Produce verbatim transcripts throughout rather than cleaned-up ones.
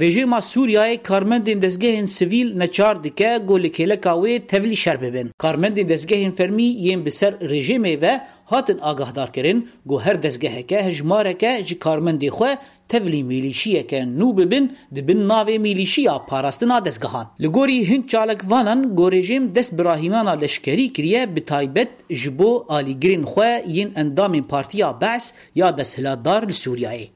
Rejîma Sûriyeyê karmendên dezgehên sivîl neçar dike ku li kêleka wê tevlî şer bibin. Karmendên dezgehên fermî yên bi ser rejîmê ve hatin agahdar kirin ku her dezgeheke hejmareke ji karmendê xwe tevlî mîlîşiyeke nû bibin, dibin navê mîlîşiya parastina dezgehan. Li gorî hin çalakvanan ku rejîm dest bi rahînana leşkerî kiriye, bi taybet ji bo alîgirên xwe yên endamên Partiya Be's ya desthilatdar li Sûriyeyê.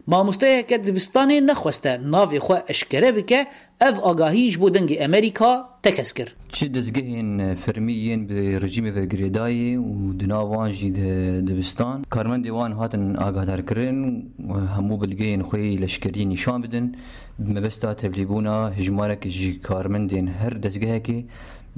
Mamosteyeke dibistanê nexweste navê xwe eşkere bike, ev agahî ji bo Dengê Amerîka tekez kir. Çi dezgehên fermî yên bi rejîmê ve girêdayî û di nav wan jî di dibistan, karmendê wan hatin agahdarkirin, hemû bilgeyên xwe yê leşkerî nîşan bidin, bi mebesta tevlîbûna hejmarek ji karmendên her dezgehekê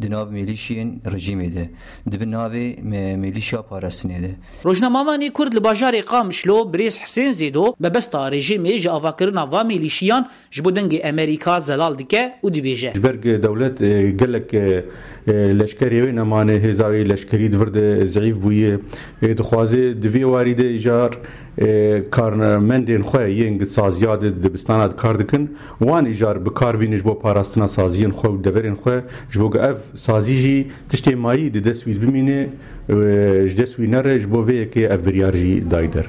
di nav mêlîşiyên rejîmê de, di bin navê me-, mêlîşya parastinê de. Rojnamevanê Kurd li bajarê Qamişlo, birêz Hisên Zêdo, mebesta rejîmê ji avakirina va mêlîşiyan ji bo Dengê Amerîka zelal dike û dibêje. Ji ber ku dewlet, e, gelek, e, e, leşkerê wê nemane, hêza wê leşkerî di vir de zeîf bûye. E, dixwaze di vê warî de îcar, e, karmendên xwe yên di saziya de dibistana de kar dikin, wan îcar bi kar bînin ji bo parastina saziyên xwe û deverên xwe, ji bo ku ev sazî jî tiştê mayî di dest wî bimîne, e, ji dest wî nere, ji bo vê yekê ev biryar jî dayî der.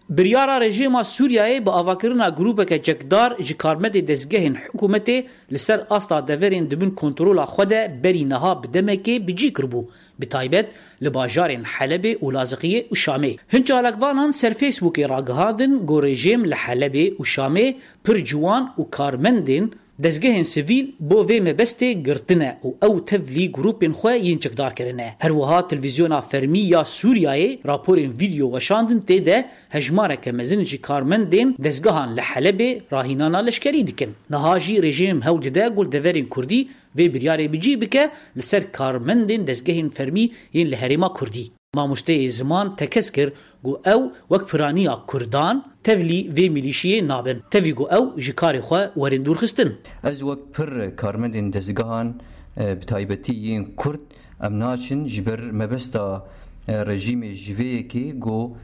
Biryara rejîma Sûriyeyê bi avakirina grûpeke çekdar ji karmendê dezgehên hikûmetê li ser asta deverên di bin kontrola xwe de berî niha bi demekê bi cî kiribû, bi taybet li bajarên Helebê û Laziqiyê û Şamê. Hin çalakvanan ser Facebookê ragihandin ku rejîm li Helebê û Şamê pir ciwan û karmendên dezgehên sivîl bo vê mebestê girtine û ew tevlî grûpên xwe yên çekdar kirine. Her wiha televîzyona fermî ya Sûriyeyê raporên vîdeo weşandin, tê de hejmareke mezin ji karmendên dezgehan li Helebê rahînana leşkerî dikin. Niha jî rejîm hewl dide ku li deverên kurdî vê biryarê bi cî bike li ser karmendên dezgehên fermî yên li herêma kurdî. Mamosteyê ziman tekez kir ku ew wek piraniya kurdan tevlî vê milîşiyê nabin, tevî ku ew ji karê xwe werin dûrxistin. Ez wek pir karmendên dezgehan, e, bi taybetî yên kurd, em naçin ji ber mebesta, e, rejîmê ji vê yekê ku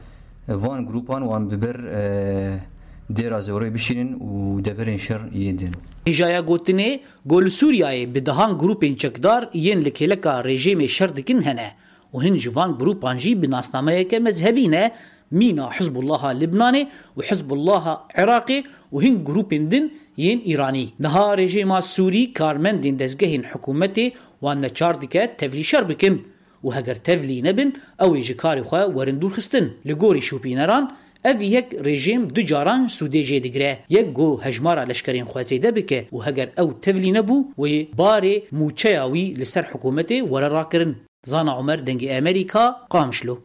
van grûpan wan bi ber, e, dêra zewrê bişînin û deverên şer yên din. Hêjaya gotinê ku li Sûriyeyê bi dehan grûpên çekdar yên li kêleka rejîmê şer dikin hene û hin ji van grûpan jî bi nasnameyeke mezhebî ne, mîna Hizbullaha Libnanê û Hizbullaha Iraqê û hin grûpên din yên Îranî. Niha rejîma Sûrî karmendên dezgehên hikûmetê wan neçar dike tevlî şer bikin û heger tevlî nebin, ew ê ji karê xwe werin dûrxistin. Li gorî şopîneran, ev yek rejîm du caran sûdê jê digire. Yek ku hejmara leşkerên xwe zêde bike û heger ew tevlî nebû, wê barê mûçeya wî li ser hikûmetê were rakirin. Zana Omer, Dengê Amerîka, Qamişlo.